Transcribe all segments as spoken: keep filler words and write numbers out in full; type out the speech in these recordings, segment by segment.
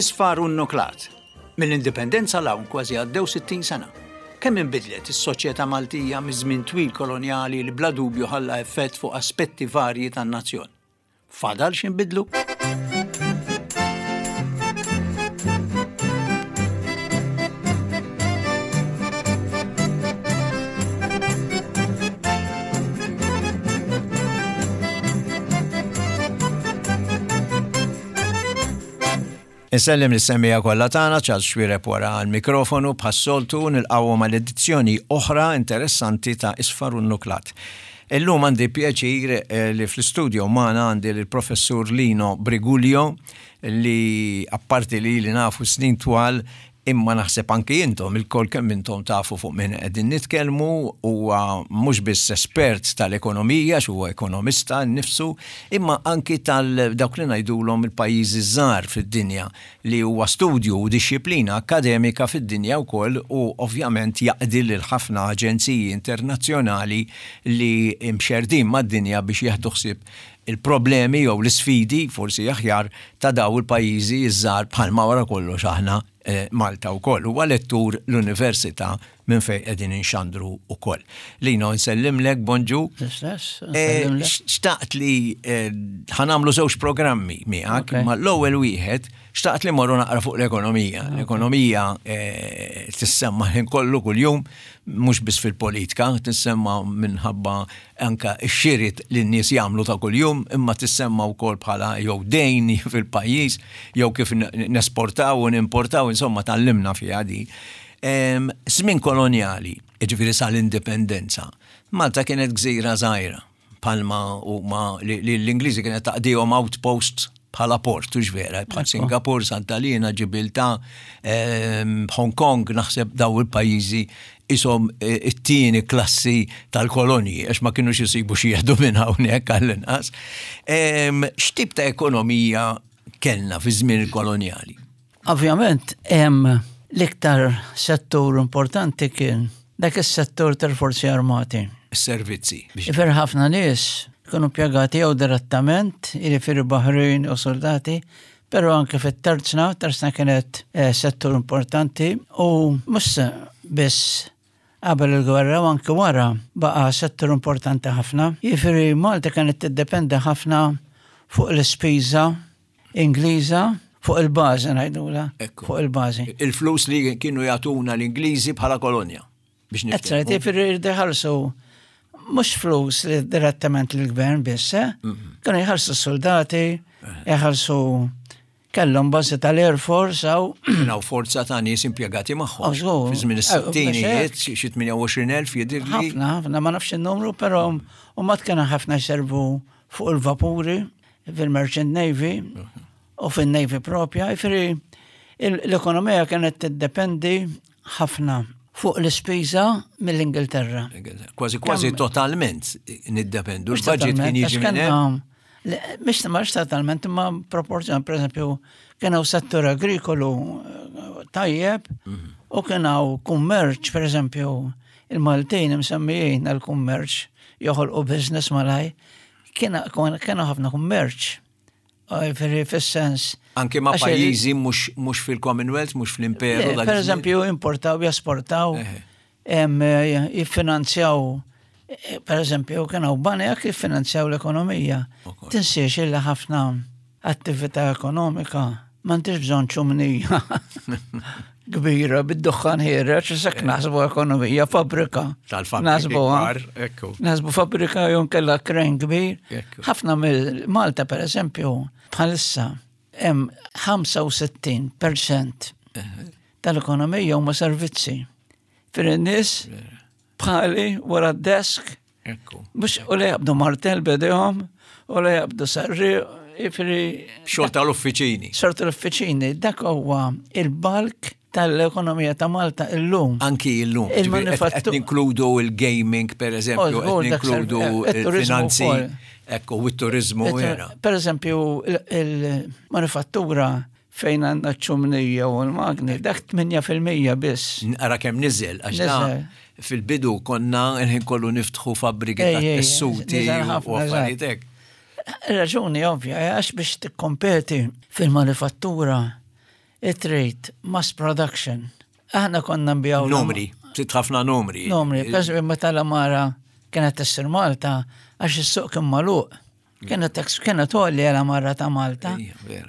Isfar u nnuklat. Mill-indipendenza 'l hawn kważi għaddew sittin sena. Kemm inbidlet is-soċjetà Maltija miż-żmien twil kolonjali li bla dubju ħalla effett fuq aspetti varji tan-nazzjon? Fadal x'inbidlu? Insellem lis-semmiegħa kollha tagħna, Charles Xuereb wara l-mikrofonu bħas-soltu nilqgħuhom għal edizzjoni oħra interessanti ta' Isfar u Nuklat. Illum għandi pjaċir eh, li fl-istudio magħna għandi l-professur Lino Briguglio li apparti li li nafu snin twal imma naħseb anki intom ilkoll kemm intom tafu fuq minn qegħdin nitkellmu, huwa mhux biss espert tal-ekonomija, huwa ekonomista nnifsu, imma anki tal dawk li ngħidulhom il-pajjiżi żgħar fid-dinja li huwa studju u dixxiplina akademika fid-dinja wkoll u ovvjament jaqdi lil ħafna aġenziji internazzjonali li imxerdin mad-dinja biex jieħdu ħsieb il-problemi jew l-isfidi, forsi aħjar, ta' daw il-pajjiżi żgħar bħalma wara kollox aħna eh, Malta wkoll. Huwa lettur l-Università minn fejn qegħdin inxandru wkoll. Lino, nsellimlek, bonġu. L-istess, Eh, nsellimlek. Xtaqt li eh, ħa nagħmlu żewġ programmi miegħek, Ok. ma l-ewwel wieħed xtaqt li morru naqra fuq l-ekonomija. L-ekonomija eh, tissemma ħin kollu kuljum, mhux biss fil-politika, tissemma minħabba anka x-xiri li n-nies jagħmlu ta' kuljum, imma tissemma wkoll bħala jew dejn fil-pajjiż, jew kif n- nesportaw u nimportaw, insomma tgħallimna fiha di. Em, Żmien kolonjali, jiġifieri sal-indipendenza, Malta kienet gżira żgħira, palma u ma li li l-Ingliżi kienet taqdihom outpost bħala port, hux vera, bħal Singapur, Santa Lina, Ġibilta, em, Hong Kong, naħseb daw il-pajjiżi isom eh, it-tieni klassi tal-kolonji, għax ma kienux jisibu xi jieħdu minn hawnhekk għall-inqas. Em, X'tip ta' ekonomija kellna fi żmien il-kolonjali? Ovvjament, hemm l-iktar settur importanti kien dak is-settur tal-forzi armati. Is-servizzi. biex- Jiġifieri ħafna nies kienu impjegati jew direttament, jiġifieri baħrin u soldati, però anke fit-tarzna, tarzna kienet eh, settur importanti u mhux biss qabel il-gwerra u anke wara baqa settur importanti ħafna. Jiġifieri Malta kienet tiddependi ħafna fuq l-ispiża Ingliża, fuq il-bażi ngħidula, Ekku. fuq il-bażi. Il-flus li kienu jagħtuna l-Ingliżi bħala kolonja. Biex Ezzra, niftehmu. jiġifieri jridu jħallsu mhux flus li direttament lill-gvern biss, eh? Kienu jħallsu s-soldati, jħallsu kellhom bażi tal-Air Force aw Kien hawn forza ta' nies impjegati magħhom. Oh, żgur. Fi żmien Eh, is-sittinijiet, xi xi tmienja u għoxrin elf jidhirli. ħafna, ħafna, ma nafx il-numru, però u mat kienu ħafna jservu fuq il-vapuri fil-Merchant Navy u fil-Navy propja. Jiġifieri l-ekonomija kienet tiddependi ħafna fuq l-ispiża mill-Ingilterra. Kważi kważi Kemm- totalment niddependu. Mhux Il-budget kien totalment, jiġi għax minn hemm. kellna- le, Mhux mhux totalment, imma proporzjon, per eżempju, kien hawn settur agrikolu eh, tajjeb u kien hawn kummerċ, per eżempju, il-Maltin msemmijin għal-kummerċ joħolqu business malaj, kien kien ħafna kummerċ. Jiġifieri fis-sens. Anke ma' għax il- pajjiżi mhux mhux fil-Commonwealth, mhux fl-Imperu. Le, dak Per iż-żmien. eżempju, importaw, jesportaw, Eħe. em, eh, jiffinanzjaw, eh, per eżempju, kien hawn banek jiffinanzjaw l-ekonomija. Ukoll. Tinsiex illi ħafna attività ekonomika m'għandix bżonn ċumnija kbira bid-duħħan ħiereġ, sekk naħsbu ekonomija, fabbrika. Tal-fabbriki Naħsbu, kbar, ekku. Naħsbu fabbrika jew kellha crane kbir. Ekku. Ħafna mill Malta per eżempju, bħalissa hemm ħamsa u sittin per cent tal-ekonomija huma servizzi. Fir nies bħali wara d-desk, Ekku. mhux u li jaqbdu martel b'idejhom, u li jaqbdu sarri, jiġifieri Xogħol tal-uffiċini. Xogħol tal-uffiċini, dak huwa il-bulk tal-ekonomija ta' Malta illum. Anki illum. Il-manifattu- Qed ninkludu il-gaming, per eżempju, Oh, żgur, qed dak ninkludu ser- eh, it-turizmu il-finanzi. wkoll. Ekku, u t-turizmu vera. Per eżempju, il-manifattura fejn għandna ċumnija u l-magni, dak tmienja fil-mija biss. Nara kemm niżel, għax da Niżel. fil-bidu konna il-ħin kollu niftħu fabbriki Ej, ta' ej, ej, tessuti niżel u ħafna, affarijiet hekk. Raġuni ovvja, għax biex tikkompeti fil-manifattura Trid mass production. Aħna konna nbigħu Numri, trid ħafna numri. Numri, per meta l-għamara kienet issir Malta, għax is-suq kien magħluq. Kienet kienet għolja l-għamara ta' Malta.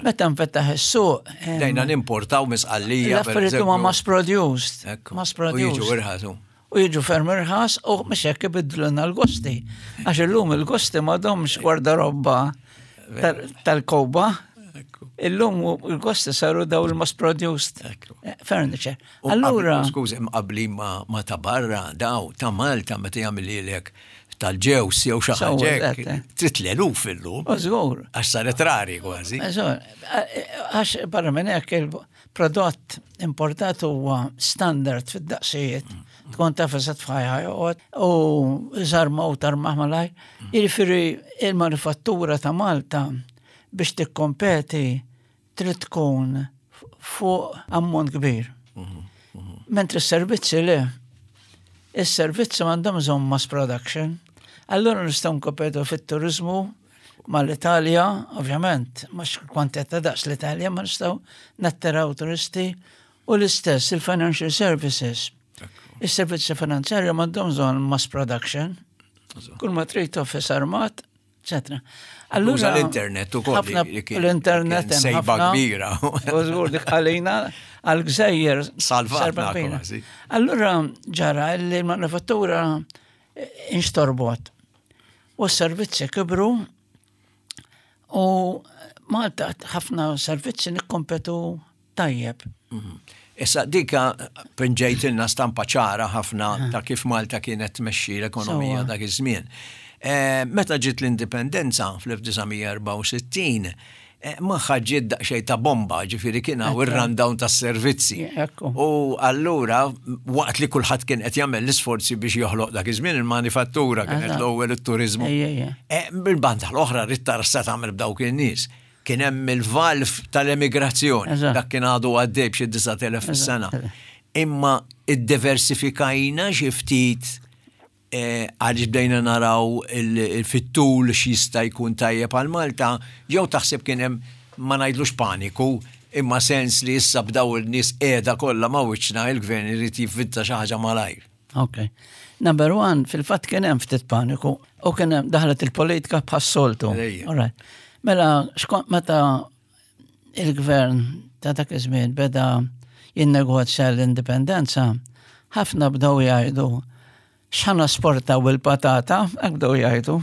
Meta nfetaħ is-suq. Bdejna nimportaw minn Sqallija. L-affarijiet huma mass produced. Mass produced. U jiġu irħas. U jiġu ferm irħas u mhux hekk ibiddlulna l-gosti. Għax illum il-gosti m'għadhomx gwardarobba tal-kowba. Illum il-gosti saru daw il-mass produced furniture. Allura. Skużi, mqabli ma ta' barra, daw, ta' Malta, meta jagħmel lilek tal-ġewż jew xi ħaġa. Trid l-eluf illum. Żgur. Għax saret rari kważi. Għax barra minn hekk il-prodott importat huwa standard fid-daqsijiet. Tkun taf eżatt fejn ħa joqgħod u żarma u tarmaħ malaj. Jiġifieri il-manifattura ta' Malta biex tikkompeti trid tkun fuq ammont kbir. Mentri s-servizzi le, is-servizzi m'għandhom bżonn mass production. Allura nistgħu nkompetu fit-turizmu mal-Italja, ovvjament, mhux kwantità daqs l-Italja, ma nistgħu nattiraw turisti u l-istess il-financial services. Is-servizzi finanzjarju m'għandhom bżonn mass production. Kull ma trid office armat, eccetera. Allura l-internet ukoll. L-internet sejba kbira. U żgur dik għalina għal-gżejjer. Salvatna kważi. Allura ġara li l-manifattura inxtorbot. U s-servizzi kibru u Malta ħafna servizzi nikkompetu tajjeb. Issa dika pinġejtilna stampa ċara ħafna ta' kif Malta kienet tmexxi l-ekonomija dak iż-żmien. Meta ġiet l-indipendenza fl-elf disa' mija erbgħa u sittin, magħha ġiet daqsxejn ta' bomba, ġifieri kien hawn ir-rundown tas-servizzi. U allura waqt li kulħadd kien qed jagħmel l-isforzi biex joħloq dak iż-żmien il-manifattura kienet l-ewwel it-turizmu. Bil-banda l-oħra rrid tara sa tagħmel b'dawk in-nies. Kien hemm il-valv tal-emigrazzjoni, dak kien għadu għaddej b'xi disa' elef fis-sena. Imma iddiversifikajna xi ftit għaliex bdejna naraw fit-tul x'jista' jkun tajjeb għal Malta, jew taħseb kien hemm, ma ngħidlux paniku, imma sens li issa bdaw il-nies qiegħda kollha ma' wiċċna, il-gvern irid jivvinta xi ħaġa malajr? Ok. Number one, fil-fatt kien hemm ftit paniku u kien hemm daħlet il-politika bħas-soltu. Mela, xkont meta il-gvern ta' dak iż-żmien beda jinnegozja l-indipendenza, ħafna bdew jgħidu x'ħa nesportaw il-patata, hekk bdew jgħidu.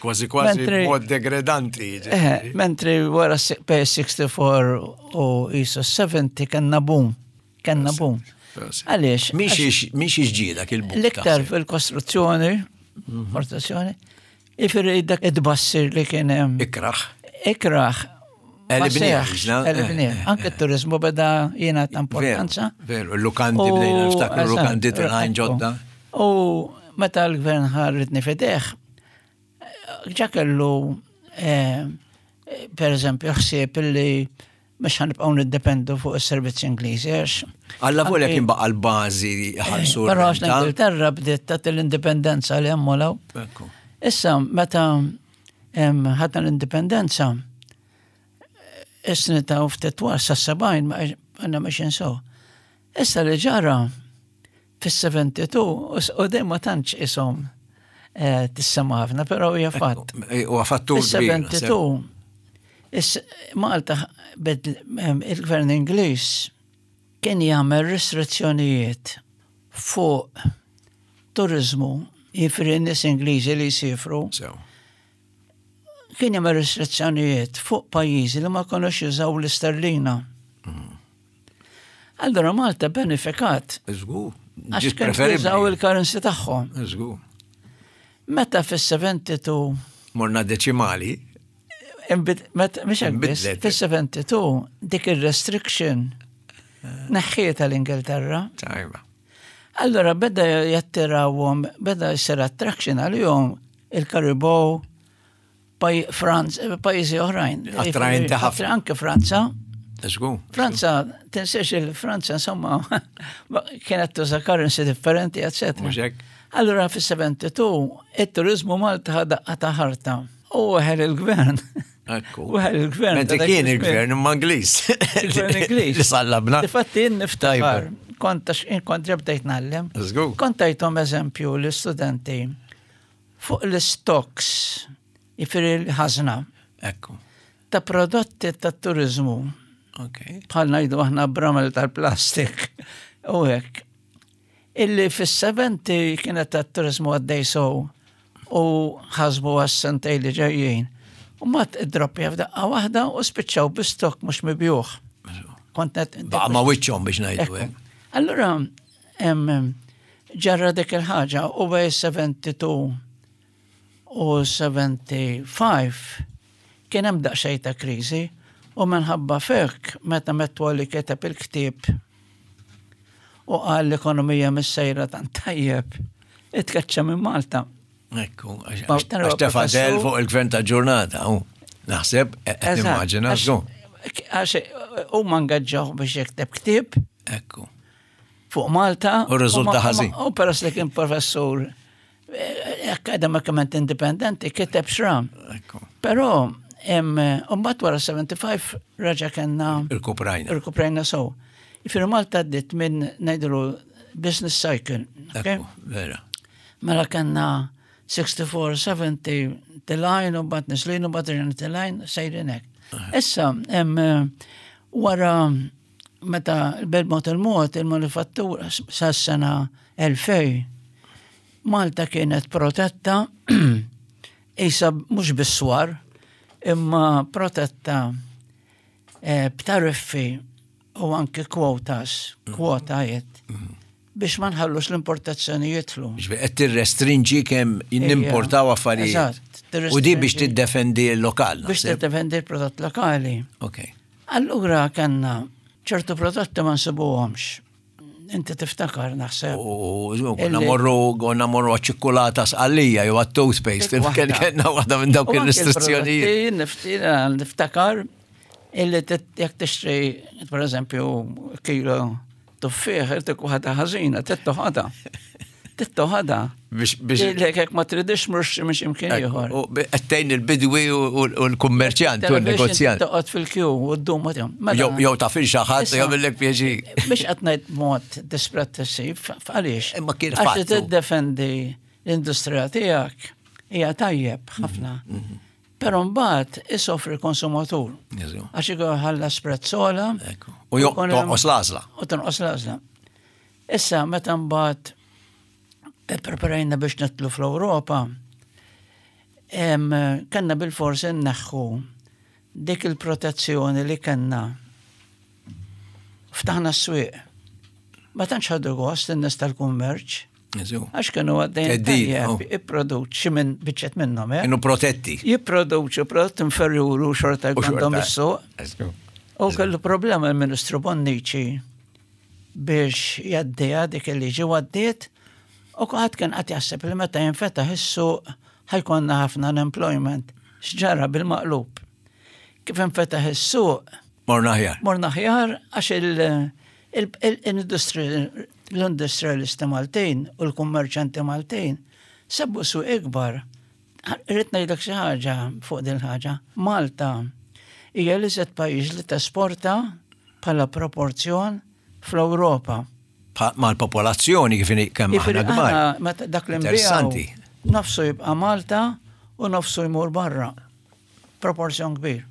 Kważi kważi mod degradanti. Eh, mentri wara P sixty-four u ISO sebgħin kellna boom. Kellna boom. Għaliex? Mhix ġidak il-boom. L-iktar fil-kostruzzjoni, kostruzzjoni, jiġifieri dak id-bassir li kien hemm. Ikraħ. Ikraħ. Għelibnieh. Anke t-turizmu beda jiena ta' importanza. Veru, il-lukandi bdejna niftakru l-lukandi telgħin ġodda. U meta l-gvern ħa r-riedni f'idejh, ġa kellu, per eżempju, ħsieb illi mhux ħa nibqgħu niddependu fuq is-servizzi Ingliżi. Għax Alla volja kien baqa l-bażi ħalsu. Però għax l-Ingilterra bdiet tagħti l-indipendenza li hemm law. Issa meta ħadna l-indipendenza, is-snin ta' ftit wara sa sebgħin għandna mexjin so. Issa li ġara fis-sebgħa u sebgħin u dejjem ma tantx ishom tissemma ħafna, però hija fatt. U fattur. Fis-sebgħa u sebgħin Malta il-gvern Ingliż kien jagħmel restrizzjonijiet fuq turizmu, jiġifieri nies Ingliżi li jsifru. Kien jagħmel restrizzjonijiet fuq pajjiżi li ma kinux jużaw l-isterlina. Allora Malta benefikat. Żgur. Għax kienu jużaw il-currency tagħhom. Żgur. Meta fis-sebgħa u sebgħin Morna deċimali. Mhux hekk biss, fis-sebgħa u sebgħin dik il-restriction neħħietha l-Ingilterra. Tajba. Allora beda jattirawhom, beda jsir attraction għalihom il-Karibow, pajjiżi oħrajn. Attraenti ħafna. Anke Franza. Żgur. Franza, tinsiex il-Franza, insomma, kienet tuża currency differenti, eccetera. Mhux hekk. Allora fis-sebgħa u sebgħin il-turizmu Malta ħa daqqa ta' ħarta. U weħel il-gvern. Ekku. Wieħed il-gvern. Mentri ta' dak kien iż-żmien. il-gvern imma Ingliż. Il-gvern Ingliż. Li sallabna. Difatti jien niftakar, Tajba. kont għax jien kont ġebdejt ngħallem. Żgur. Kont tajthom eżempju l-istudenti fuq l-stocks, jiġifieri l-ħażna Ekku. ta' prodotti ta' turizmu, Ok. bħal ngħidu aħna bramel tal-plastik u hekk. Illi fis-sebgħin kienet ta' turizmu għaddej sow u ħasbu għas-sentej li ġejjin. U mat id-droppja f'daqqa waħda u spiċċaw bi stock mhux mibjugħ. Kont qed- Baqa ma wiċċhom biex ngħidu Ekku. hekk. Allura, em, ġarra dik il-ħaġa u bej sebgħa u sebgħin u ħamsa u sebgħin kien hemm daqsxejn ta' kriżi u minħabba fek meta Metwali kiteb il-ktieb u qal l-ekonomija mis-sejra tant tajjeb, itkaċċa minn Malta. Ekku, għax Ma- għax tefa' del professur- fuq il-gvern ta' ġurnata. u Naħseb, qed Eżatt, nimmaġina. għax- żgur. Għax huma ngaġġaw biex jikteb ktieb Ekku. fuq Malta. U rriżulta ma- ma- ħażin. U peress li kien professur eh, akademikament indipendenti kiteb xram. Ekku. Però, mbagħad wara sebgħa u sebgħin raġa kellna Irkuprajna. irkuprajna sow. Jiġifieri Malta għaddiet minn ngħidulu business cycle. Okay? Ekku, vera. Mela kellna sittaħuaħħar, sebgħa telgħin u mbagħad neżlin u mbagħad rġajna telgħin sejrin hekk. Issa, em, wara meta bil-mod il-mod il-manifattura sas-sena elfejn Malta kienet protetta isa mhux bis-swar imma protetta eh, b'tariffi u anke kwotas, kwotajiet, biex ma nħallux l-importazzjoni jidħlu. Ġifieri qed tirrestrinġi kemm nimportaw affarijiet. Eżatt, U di biex tirrestrinġi. tiddefendi l-lokal. Biex naħseb. tiddefendi l-prodott lokali. Ok. Allura kellna ċertu prodotti ma nsibuhomx. Inti tiftakar naħseb. U konna Illi- morru konna morru għaċ-ċikkulata Sqallija jew għat-toothpaste. Dik waħda. Kellna waħda minn dawk U anke il-restrizzjonijiet. l-prodotti nifti- Niftakar illi tit- jekk tixtri, per eżempju, kilo tuffieħ, irtik waħda ħażina, tittoħada. Tittoħada. Biex biex Lek jekk ma tridix mhux mhux imkien ieħor. U bi- qed tgħin il-bidwi u u l-kummerċjant u l-negozjant. Toqgħod fil-kju u ddum ma tihom. Mela, Jew jew taf il xi ħadd Issa- jagħmellek pjaċir. Biex qed ngħid mod dispretessiv, għaliex? Imma kien Għax li fattu. tiddefendi l-industrija tiegħek hija tajjeb ħafna. Però mbagħad isofri konsumatur. Jeżu. Għax ikun ħallas prezz ogħla. Ekku. U jo- jkun hemm- tonqos l-għażla. U tonqos l-għażla. Issa meta mbagħad preparajna biex nidħlu fl-Ewropa, em, kellna bil-forsi nneħħu dik il-protezzjoni li kellna. Ftaħna s-swieq. Ma tantx ħadu gost in-nies tal-kummerċ, Jeżu. għax kienu għaddejn Theddid, tajjeb, oh. jipproduċi minn biċċet minnhom, eh? Kienu protetti. Jipproduċu prodott inferjuri u xorta U xorta. għandhom is-suq. Eżu. U kellu problema l-Ministru Bonnici biex jgħaddiha dik il-liġi u għaddiet u kulħadd kien qed jaħseb li meta jinfetaħ is-suq ħa jkollna ħafna unemployment. X'ġara bil-maqlub. Kif infetaħ is-suq, Morna aħjar. morna aħjar għax il- il- il- l-industri- l-industrialisti Maltin u l-kummerċanti Maltin sabu suq ikbar. Irrid ngħidlek xi ħaġa fuq din ħaġa. Malta hija l-iżjed pajjiż li tesporta bħala proporzjon fl-Ewropa. Pa- Mal-popolazzjoni kif inhi kemm Jiġifieri aħna kbar. aħna meta dak li Interessanti. nbiegħu nofsu jibqa' Malta u nofsu jmur barra. Proporzjon kbir.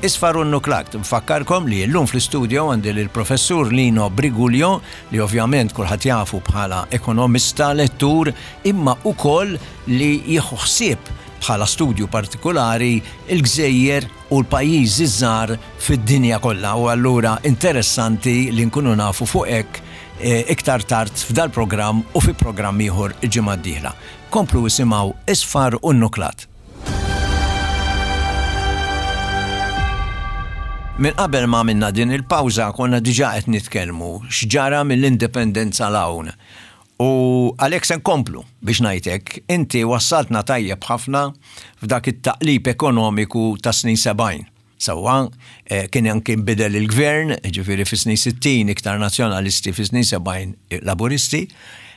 Isfar u Nuklakt, nfakkarkom li llum fl-studio għandi l-professur Lino Briguglio li ovvjament kulħadd jafu bħala ekonomista, lettur, imma ukoll li jieħu ħsieb bħala studju partikolari il-gżejjer u l-pajjiżi żgħar fid-dinja kollha u allura interessanti li nkunu nafu fuq hekk eh, iktar tard f'dal programm u fi programm ieħor il-ġimgħa d-dieħla. Komplu isimgħu Isfar u Nuklat. Minn qabel ma minna din il-pawża konna diġà qed nitkellmu x'ġara mill-indipendenza 'l hawn. U għalhekk se nkomplu biex ngħidlek, inti wassaltna tajjeb ħafna f'dak it-taqlib ekonomiku ta' snin sebgħin. Sewwa, eh, kien anke nbidel il-gvern, ġifieri fi snin sittin iktar nazzjonalisti, fi snin sebgħin laburisti.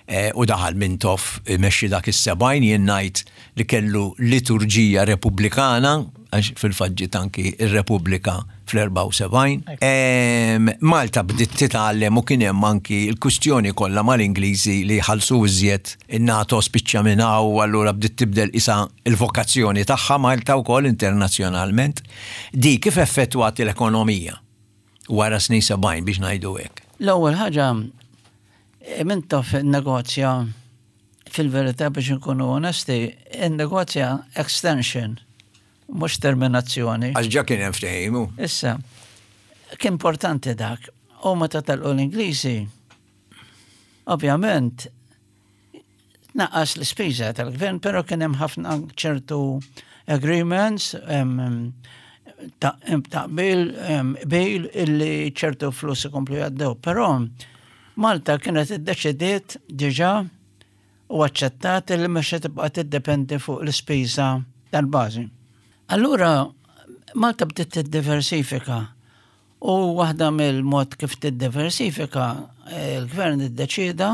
Eh, u daħal Mintoff imexxi dak is-sebgħin, jien ngħid li kellu liturġija repubblikana, għax fil-fatt ġiet anki ir-Repubblika fl-erbgħa u sebgħin. Em, Malta bdiet titgħallem u kien hemm anki l-kwistjoni kollha mal-Ingliżi li ħallsu iżjed, in-NATO spiċċa minn hawn, allura bdiet tibdel isa il-vokazzjoni tagħha Malta wkoll internazzjonalment. Di kif effettwat l-ekonomija wara snin sebgħin, biex ngħidu hekk? L-ewwel ħaġa, Mintoff negozja, fil-verità, biex nkunu onesti, negozja extension, mhux terminazzjoni. Għax ġa kien hemm ftehim. Issa, kien importanti dak. U meta telqu l-Ingliżi, ovvjament, naqqas l-ispiża tal-gvern, pero kien hemm ħafna ċertu agreements, em, ta' taqbil, bil illi ċertu flus ikomplu jgħaddew. Però Malta kienet iddeċidiet diġà u aċċettat li mhux se tibqa' tiddependi fuq l-ispiża tal-bażi. Allura Malta bdiet tiddiversifika u waħda mill-mod kif tiddiversifika, eh, il-gvern iddeċida,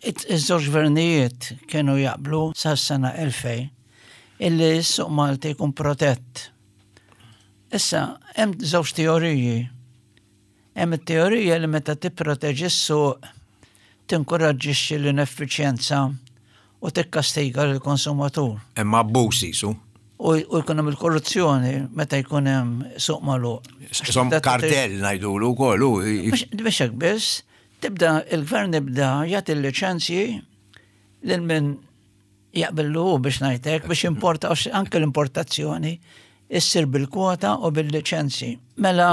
iż-żewġ gvernijiet kienu jaqblu sas-sena elfejn illi s-suq Malti jkun protett. Issa, hemm żewġ teoriji. Hemm it-teorija li meta tipproteġi s-suq tinkoraġġixxi l-ineffiċjenza u tikkastiga lill-konsumatur. Hemm abbuż jisu. U u jkun hemm il-korruzzjoni meta jkun hemm suq magħluq. Som kartell ngħidulu wkoll. u- Biex biex hekk biss, tibda il-gvern ibda jagħti l-liċenzji lil min jaqbillu hu, biex ngħidlek, biex importa, għax anke l-importazzjoni issir bil-kwota u bil-liċenzji. Mela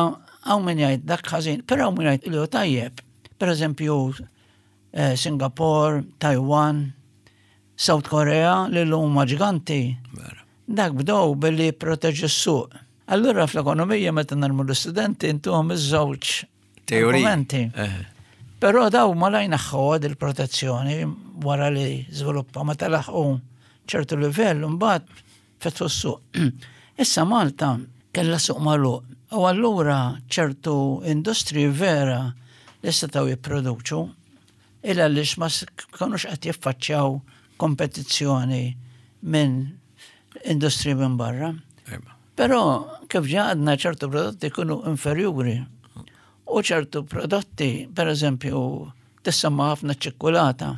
hawn min jgħid dak ħażin, però hawn min jgħid li hu tajjeb. Per eżempju, eh, Singapore, Taiwan, South Korea, li huma ġiganti. Vera. Dak bdew billi proteġu s-suq. Allura fl-ekonomija meta ngħallmu l-istudenti intuhom iż-żewġ Teoriji. argumenti. Eh. Però daw malajr neħħew il-protezzjoni wara li żviluppa, meta laħqu ċertu livell, mbagħad fetħu s-suq. Issa Malta kellha suq magħluq u allura ċertu industriji vera li setgħu jipproduċu illa għaliex ma s- kinux qed jiffaċċjaw kompetizzjoni minn industriji minn barra. Ejba. Però kif ġa għadna, ċertu prodotti jkunu inferjuri. U ċertu prodotti, per eżempju, tissemma ħafna ċikkulata,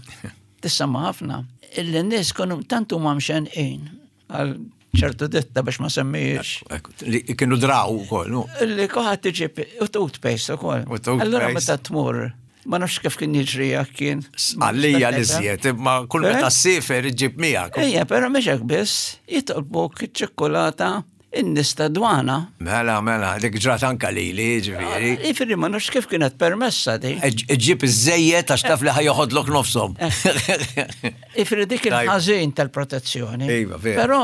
tissemma ħafna, illi n-nies kienu tantu ma mxenqin għal ċertu ditta, biex ma semmijiex. Ekku, li kienu draw ukoll, no? Illi kulħadd iġib u toothpaste ukoll. U toothpaste. Allura meta tmur, ma nafx kif kien jiġri jekk kien. Għallija li żjed, imma kull Eh? meta ssifer iġib miegħek. Ejja, però mhux hekk biss, jitolbuk iċ-ċikkulata in-nies ta' dwana. Mela, mela, dik ġrat anka lili, ġifieri. Jiġifieri ma nafx kif kienet permessa di. Iġib iż-żejjed għax taf li ħa joħodlok nofshom. Jiġifieri dik Tajb. il-ħażin tal-protezzjoni. Iva, vera. Però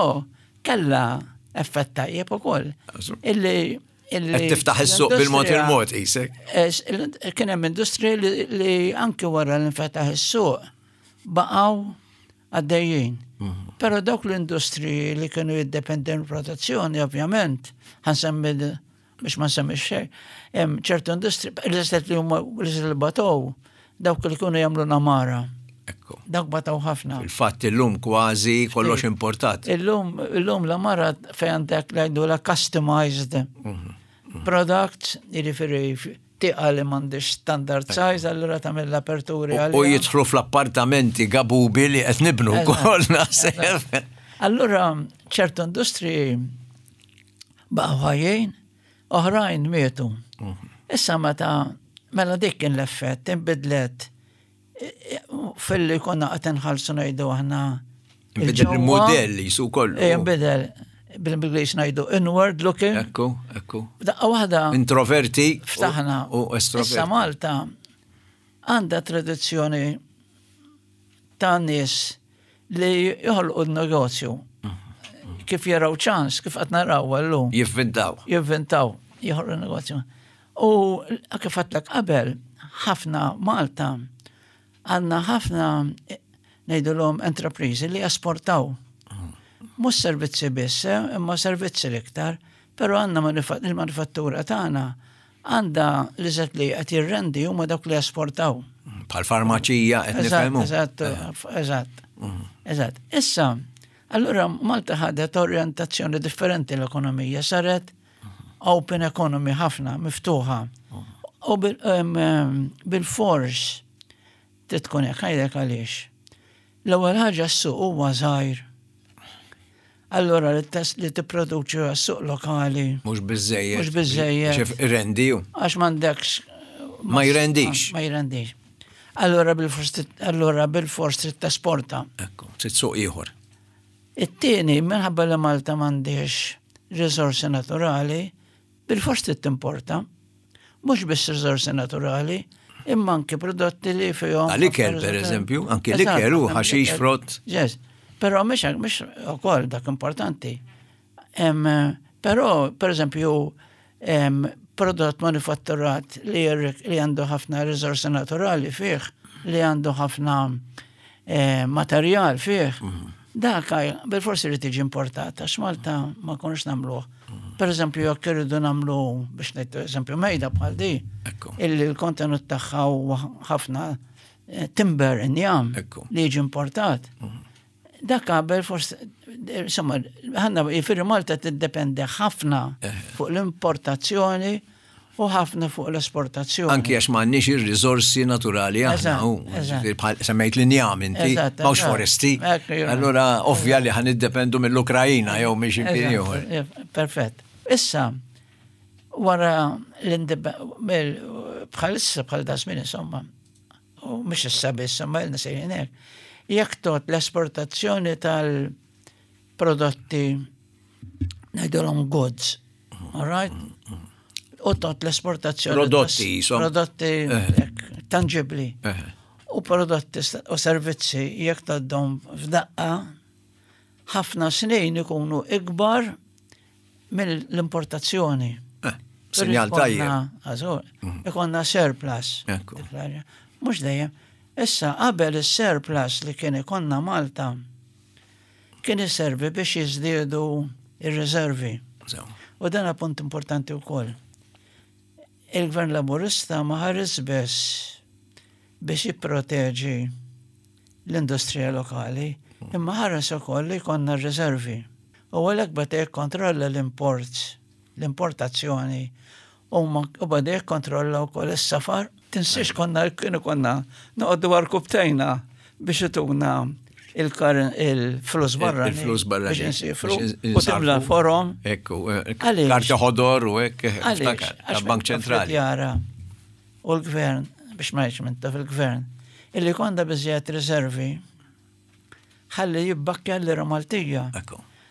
kella effett tajjeb ukoll. Illi illi Qed tiftaħ is-suq bil-mod il-mod isek. Es- il- Kien hemm industriji li, li anke wara li nfetaħ is-suq baqgħu għaddejjin. Mhm. Però dawk l-industriji li kienu jiddependi mill-protezzjoni, ovvjament, ħa nsemmi biex ma nsemmi xejn, hemm ċertu industri, l-istess li huma l-istess li batow, dawk li kienu jagħmlu namara. Ekku. Dawk bataw ħafna. Il-fatt illum kważi kollox importat. Illum, illum l-amara fejn għandek ngħidu la customized products, jiġifieri tieqa li m'għandix standard size, allura tagħmel l-aperturi U għalija. jidħlu fl-appartamenti gabubi li qed nibnu Eżatt, wkoll naħseb. Allura ċertu industriji baqgħu ħajjin, oħrajn mietu. Issa meta mela dik kien l-effett, inbidlet fil-li konna qed inħallsu, ngħidu aħna, Inbidel il-ġewwa. il-modell jisu kollu. Eh, Inbidel bil-Ingliż ngħidu inward looking. Ekku, ekku. Daqqa waħda Introverti u- ftaħna. u estroverti. Issa Malta għandha tradizzjoni ta' nies li joħolqu n-negozju. Kif jaraw ċans, kif qed naraw llum. Jivvintaw. Jivvintaw, joħolqu n-negozju. U kif għedtlek qabel, ħafna Malta għandna ħafna, ngħidulhom, enterprizi li esportaw. Mhux servizzi biss, eh, imma servizzi l-iktar, però għandna manufa- il-manifattura tagħna għandha li zet li qed jirrendi huma dawk li esportaw. Bħal farmaċija qed nifhmu. Eżatt, eżatt. Eżatt. Issa, allura Malta ħadet orjentazzjoni differenti l-ekonomija, saret open economy ħafna, miftuħa. U bil-fors tkun hekk, ngħidlek għaliex. L-ewwel ħaġa, s-suq huwa żgħir. Allora li li tipproduċi għas-suq lokali. Mhux biżejjed. Mhux biżejjed. Rendi. Għax m'għandekx. Ma jrendix. Ma jrendix. Allora bil-fors allora bil-fors trid tesporta. Ekku, trid suq ieħor. It-tieni, minħabba li Malta m'għandix risorsi naturali, bil-fors trid timporta. Mhux biss risorsi naturali, imma anke prodotti li fihom. L-ikel, per eżempju, anke l-ikel u ħaxix, frott. Yes, però mhux mhux ukoll dak importanti. Però, per eżempju, prodott manifatturat li li għandu ħafna risorsi naturali fih, li għandu ħafna eh, materjal fih, mhm. dak bil-forsi li tiġi importat, għax Malta ma konniex nagħmluh. Per eżempju, jekk irridu nagħmlu, biex ngħid eżempju, mejda bħal di, illi l-kontenut tagħha huwa ħafna eh, timber, injam, li jiġi importat. Mhm. Dak qabel forsi, insomma, ħanna jiġifieri Malta tiddependi ħafna eh. fuq l-importazzjoni u ħafna fuq l-esportazzjoni. Anki għax m'għandniex ir-riżorsi naturali aħna. Semmejt l-injam inti, m'hawnx foresti. Allora ovvja li ħa niddependu mill-Ukrajina jew minn xi ieħor. Perfett. Issa, wara bħalissa, bħal da żmien, insomma, u mhux issa biss, imma ilna sejrin hekk, jekk tgħodd l-esportazzjoni tal-prodotti, ngħidulhom goods, all right? U tgħodd l-esportazzjoni. Prodotti, Prodotti eh. tangibli. Eh. U prodotti u servizzi, jekk tgħoddhom f'daqqa, ħafna snin ikunu ikbar mill-importazzjoni. Eh, sinjal tajjeb. Mhm. Ikollna surplus. Mhux dejjem. Issa, qabel, is-surplus li kien ikollna Malta kien iservi biex jiżdiedu ir-riservi. U dan punt importanti wkoll. Il-Gvern Laburista ma ħares biss biex jipproteġi l-industrija lokali, imma ħares ukoll li jkollna r-riservi. U għalhekk beda jikkontrolla l-imports, l-importazzjoni, u beda jikkontrolla wkoll is-safar. Tinsiex konna kienu konna noqogħdu għarkupptejna biex ituna il-flus barra. Il-flus barra. Biex insifru. U tibla forom. Ekku, eh, karta ħodor u hekk, Bank Ċentrali. Jara. U l-gvern, biex ma minn fil-gvern, illi konna biżżejjed riservi ħalli jibbakkja l-lira Maltija.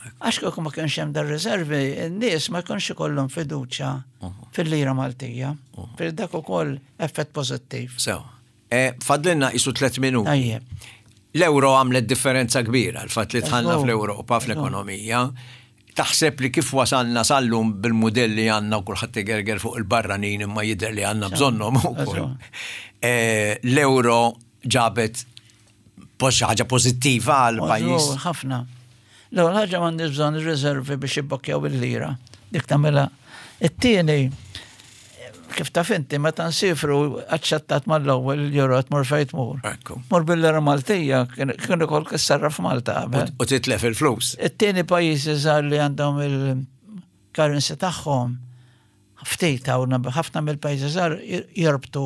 Għax kieku ma kienx hemm dar riservi, n-nies ma jkunx ikollhom fiduċja uh-huh. fil-lira Maltija. Uh-huh. Fil dak ukoll effett pożittiv. Sew. Eh, fadlilna qisu tliet minuti. L-euro għamlet differenza kbira, l-fatt li dħalna fl-Europa, fl-ekonomija. Taħseb li kif wasalna sal-lum bil-modelli għandna u kulħadd igerger fuq il-barranin, imma jidher li għandna bżonnhom ukoll. Eh, l-euro ġabet ħaġa pożittiva għal pajjiż. Ħafna. L-ewwel ħaġa, m'għandix bżonn ir-riservi biex jibbokkjaw il-lira. Dik tagħmilha. It-tieni, kif taf inti, meta nsifru aċċettat mal-ewwel il-euro, tmur fejn tmur. Mur bil-lira Maltija, kien ukoll kissarra f'Malta qabel. U titlef il-flus. It-tieni, pajjiżi żgħar li għandhom il-currency tagħhom, ftit hawn, ħafna mill-pajjiżi żgħar jorbtu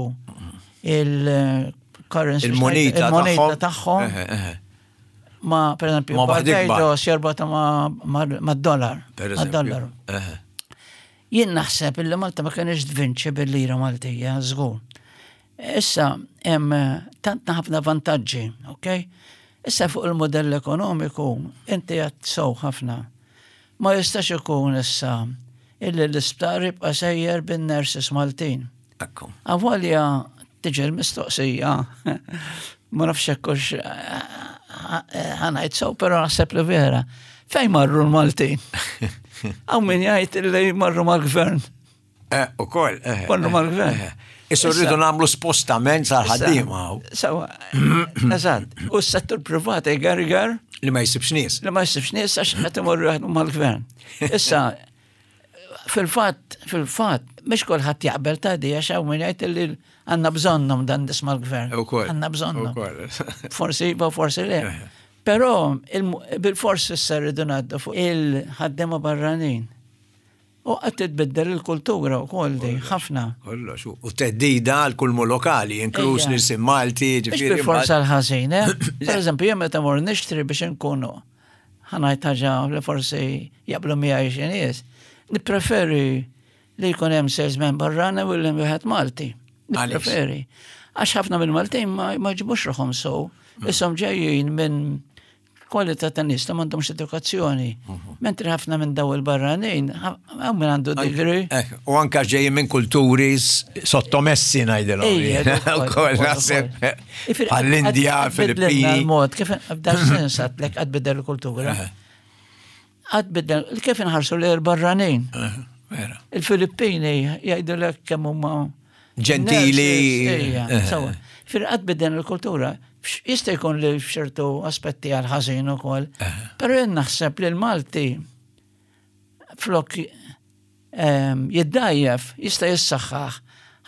il-currency Il-moneta tagħhom ma, per esempio, Barbados jorbotha ma' dollar. Ma' dollar. Jien naħseb illi Malta ma kienx tvinċi bil-lira Maltija, żgur. Issa hemm tant ħafna vantaġġi, ok? Issa fuq il-modell ekonomiku inti għedt sew ħafna. Ma jistax ikun issa illi l-isptar jibqa' sejjer bin-nurses Maltin. Avolja tiġi l-mistoqsija, ma nafx hekk ħa ngħid sew, però naħseb li vera. Fejn marru l-Maltin? Hawn min jgħid li marru mal-gvern. Eh, u koll. Marru mal-gvern. Issa rridu nagħmlu spostament sal-ħaddiema. Sawa, eżatt. U s-settur privat igerger. Li ma jsibx nies. Li ma jsibx nies għax qed imorru jaħdmu mal-gvern. Issa, Fil-fatt, fil-fatt, mhux kulħadd jaqbel ta' di, għax hawn min jgħid li għandna bżonnhom dan nisma' l-gvern. Ukoll. Għandna bżonnhom. Ukoll. Forsi iva, forsi le. Però bil-forsi issa rridu ngħaddu fuq il-ħaddiema barranin. U qed titbiddel il-kultura wkoll di, ħafna. Kollox, u theddida għal kull lokali, inkluż l-ilsien Malti, Mhux ġifieri. bil-forsa l-ħażin, eh? Per eżempju, jien meta mor nixtri biex inkunu ħa ngħid ħaġa li forsi jaqblu miegħi xi nies. Nippreferi li jkun hemm salesman barrani u li wieħed Malti. Għaliex? Nippreferi. Għax ħafna mill-Maltin ma ma jġibux ruħhom sew. Ishom ġejjin minn kwalità ta' nies li m'għandhomx edukazzjoni. Mentri ħafna minn daw il-barranin, hawn min għandu degree. Eh, U anka ġejjin minn kulturi s- sottomessi ngħidilhom. Ejja, Ukoll ukoll, naħseb. ukoll. Ifir, Għall-Indja, għad- għad bidlilna Filippini. l-mod, kif f'dan sens għadlek għad bidel il-kultura. Għad bidel, kif inħarsu li l-barranin. Eh, Vera. Il-Filippini jgħidu kemm huma Ġentili. nurses, ejja, Eh. Sawa. Fir għad bidel il-kultura. Fx- Jista' jkun li f'ċertu aspetti għal ħażin ukoll. Però jien naħseb li l-Malti flok ehm, jiddajjef, jista' jissaħħaħ.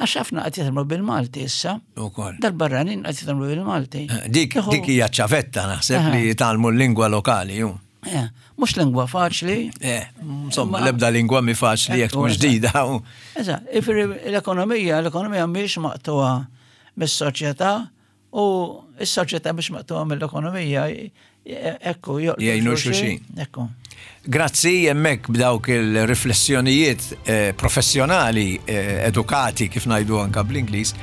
Għax ħafna qed jitkellmu bil-Malti issa. Ukoll. Dal-barranin qed jitkellmu bil-Malti. Eh, Dik Jieħu- dik hija ċavetta naħseb Aha. li jitgħallmu l-lingwa lokali. ju. Eh, Mhux lingwa faċli. Eh, insomma, Ma- l-ebda lingwa mi faċli jekk tkun Ekku, ġdida. u- Eżatt, ifri l-ekonomija, l-ekonomija mhix maqtuha mis-soċjetà u s-soċjetà mhix maqtuha mill-ekonomija. Ekku, joqtu Jgħinu xulxin. Ekku. Grazzi hemmhekk b'dawk il-riflessjonijiet eh, professjonali eh, edukati kif ngħidu anka bl-Ingliż.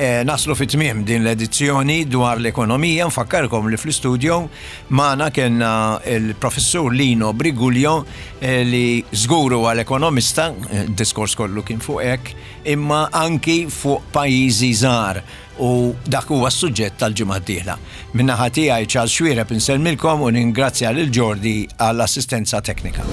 Eh, naslu fit tmiem din l-edizzjoni dwar l-ekonomija. Nfakkarkom li fl-istudio magħna kellna il-professur Lino Briguglio eh, li żgur huwa l-ekonomista, eh, diskors kollu kien fuq hekk, imma anki fuq pajjiżi żgħar u dak huwa s-suġġett tal-ġimgħa d-dieħla. Min-naħa tiegħi Charles Xuereb insellmilkom u ningrazzja lil Jordi għall-assistenza teknika.